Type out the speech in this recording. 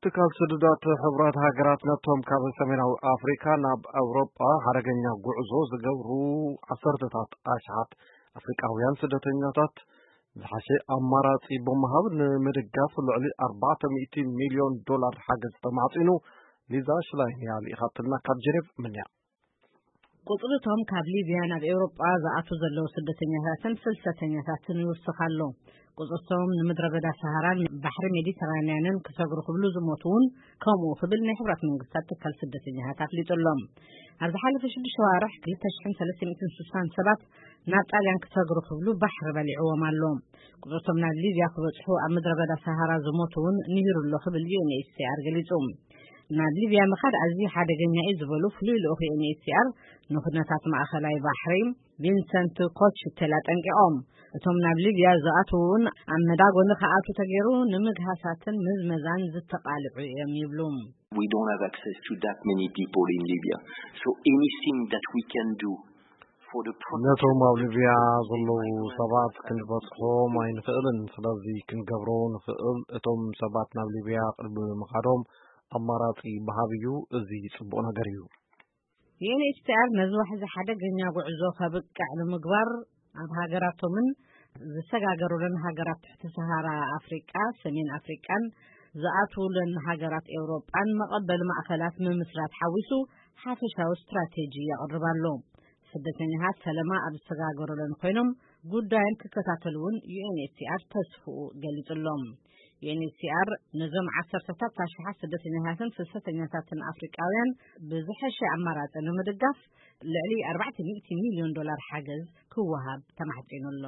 ትካል ስደዳት ሕቡራት ሃገራት ነቶም ካብ ሰሜናዊ ኣፍሪካ ናብ ኣውሮጳ ሓደገኛ ጉዕዞ ዝገብሩ ዓሰርተታት ኣሽሓት ኣፍሪቃውያን ስደተኛታት ዝሓሸ ኣማራጺ ብምሃብ ንምድጋፍ ልዕሊ ኣርባዕተ ሚእቲ ሚልዮን ዶላር ሓገዝ ተማዕጺኑ። ሊዛ ሽላይን እያ ልኢኻትና ካብ ጀኔቭ ምንያ። ቁጽርቶም ካብ ሊብያ ናብ ኤውሮጳ ዝኣቱ ዘለዉ ስደተኛታትን ፍልሰተኛታትን ይውስኽ ኣሎ። ቁጽርቶም ንምድረ በዳ ሰሃራን ባሕሪ ሜዲተራንያንን ክሰግሩ ክብሉ ዝሞቱ እውን ከምኡ ክብል ናይ ሕብራት መንግስታት ትካል ስደተኛታት ኣፍሊጡ ኣሎ። ኣብ ዝሓለፈ ሽዱሽተ ዋርሕ ክልተ ሽሕን ሰለስተ ሚእትን ስሳን ሰባት ናብ ጣልያን ክሰግሩ ክብሉ ባሕሪ በሊዕዎም ኣሎ። ቁጽርቶም ናብ ሊብያ ክበጽሑ ኣብ ምድረ በዳ ሰሃራ ዝሞቱ እውን ንሂሩ ኣሎ ክብል ዩ ኤን ኤች ሲ ኣር ገሊጹ። ናብ ሊብያ ምኻድ ኣዝዩ ሓደገኛ እዩ ዝበሉ ፍሉይ ልኡኽ ዩ ኤን ኤች ሲ ኣር ንኩነታት ማእኸላይ ባሕሪ ቪንሰንት ኮችቴል ኣጠንቂቖም። እቶም ናብ ሊብያ ዝኣትዉ እውን ኣብ መዳጎኒ ክኣትዉ ተገይሩ ንምግሃሳትን ምዝመዛን ዝተቓልዑ እዮም ይብሉ። We don't have access to that many people in Libya. So anything that we can do for the protection ነቶም ኣብ ሊብያ ዘለዉ ሰባት ክንበጽሖም ኣይንኽእልን። ስለዚ ክንገብሮ ንኽእል እቶም ሰባት ናብ ሊብያ ቅድሚ ምኻዶም ኣማራጺ ምሃብ እዩ። እዚ ጽቡቕ ነገር እዩ። ዩ ኤን ኤች ሲ ኣር ነዚ ዋሕዚ ሓደገኛ ጉዕዞ ከብቅዕ ንምግባር ኣብ ሃገራቶምን ዝሰጋገሩለን ሃገራት ትሕቲ ሰሃራ ኣፍሪቃ፣ ሰሜን ኣፍሪቃን ዝኣትዉለን ሃገራት ኤውሮጳን መቐበሊ ማእኸላት ምምስራት ሓዊሱ ሓፈሻዊ ስትራቴጂ የቕርብ ኣሎ። ስደተኛታት ፈለማ ኣብ ዝሰጋገሩለን ኮይኖም ጉዳዮም ክከታተሉ እውን ዩ ኤን ኤች ሲ ኣር ተስፍኡ ገሊጹ ኣሎ። ዩ ኤን ኤች ሲ ኣር ነዞም ዓሰርተታት ኣሽሓት ስደተኛታትን ፍልሰተኛታትን ኣፍሪቃውያን ብዝሐሸ ኣማራጺ ንምድጋፍ ልዕሊ ኣርባዕተ ሚእቲ ሚልዮን ዶላር ሓገዝ ክወሃብ ተማሕጺኑ ኣሎ።